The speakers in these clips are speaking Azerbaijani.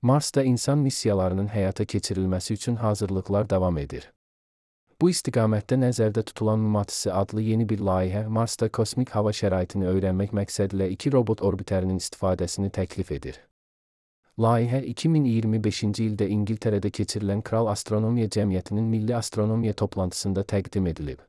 Marsda insan missiyalarının həyata keçirilməsi üçün hazırlıqlar davam edir. Bu istiqamətdə nəzərdə tutulan MMATIS adlı yeni bir layihə Marsda kosmik hava şəraitini öyrənmək məqsədilə 2 robot orbiterinin istifadəsini təklif edir. Layihə 2025-ci ildə İngiltərədə keçirilən Kral Astronomiya Cəmiyyətinin Milli Astronomiya toplantısında təqdim edilib.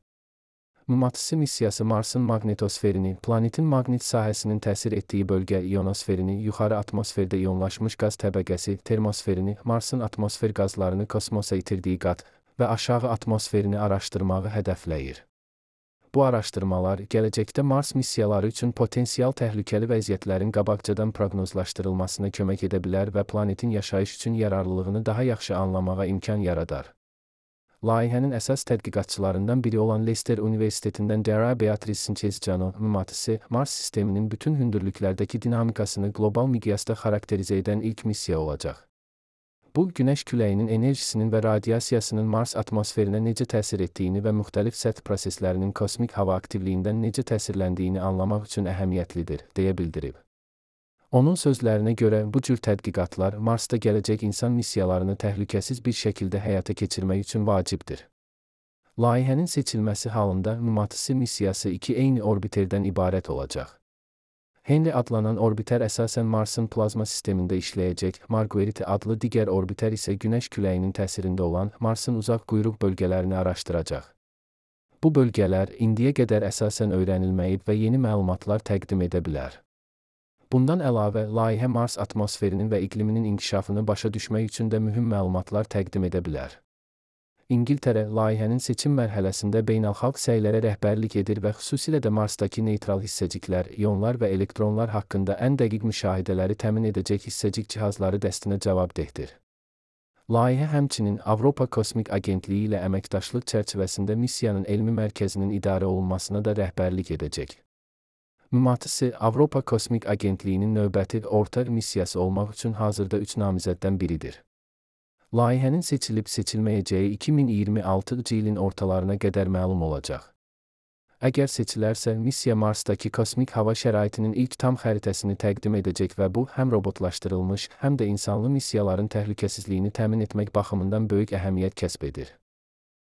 MMATIS missiyası Marsın maqnitosferini, planetin maqnit sahəsinin təsir etdiyi bölgə ionosferini, yuxarı atmosferdə ionlaşmış qaz təbəqəsi, termosferini, Marsın atmosfer qazlarını kosmosa itirdiyi qat və aşağı atmosferini araşdırmağı hədəfləyir. Bu araşdırmalar gələcəkdə Mars missiyaları üçün potensial təhlükəli vəziyyətlərin qabaqcadan proqnozlaşdırılmasına kömək edə bilər və planetin yaşayış üçün yararlılığını daha yaxşı anlamağa imkan yaradar. Layihənin əsas tədqiqatçılarından biri olan Leicester Universitetindən Dara Beatrice Sanchez-Cano, MMATIS, Mars sisteminin bütün hündürlüklərdəki dinamikasını qlobal miqyasda xarakterizə edən ilk missiya olacaq. Bu, Günəş küləyinin enerjisinin və radiasiyasının Mars atmosferinə necə təsir etdiyini və müxtəlif səth proseslərinin kosmik hava aktivliyindən necə təsirləndiyini anlamaq üçün əhəmiyyətlidir, deyə bildirib. Onun sözlərinə görə, bu cür tədqiqatlar Marsda gələcək insan missiyalarını təhlükəsiz bir şəkildə həyata keçirmək üçün vacibdir. Layihənin seçilməsi halında MMATIS missiyası 2 eyni orbiterdən ibarət olacaq. Henry adlanan orbiter əsasən Marsın plazma sistemində işləyəcək, Marguerite adlı digər orbiter isə Günəş küləyinin təsirində olan Marsın uzaq quyruq bölgələrini araşdıracaq. Bu bölgələr indiyə qədər əsasən öyrənilməyib və yeni məlumatlar təqdim edə bilər. Bundan əlavə, layihə Mars atmosferinin və iqliminin inkişafını başa düşmək üçün də mühüm məlumatlar təqdim edə bilər. İngiltərə, layihənin seçim mərhələsində beynəlxalq səylərə rəhbərlik edir və xüsusilə də Marsdakı neytral hissəciklər, ionlar və elektronlar haqqında ən dəqiq müşahidələri təmin edəcək hissəcik cihazları dəstinə cavabdehdir. Layihə həmçinin Avropa Kosmik Agentliyi ilə əməkdaşlıq çərçivəsində missiyanın elmi mərkəzinin idarə olunmasına da rəhbərlik edəcək. MMATIS, Avropa Kosmik Agentliyinin növbəti orta missiyası olmaq üçün hazırda 3 namizəddən biridir. Layihənin seçilib-seçilməyəcəyi 2026-cı ilin ortalarına qədər məlum olacaq. Əgər seçilərsə, missiya Marsdakı kosmik hava şəraitinin ilk tam xəritəsini təqdim edəcək və bu, həm robotlaşdırılmış, həm də insanlı missiyaların təhlükəsizliyini təmin etmək baxımından böyük əhəmiyyət kəsb edir.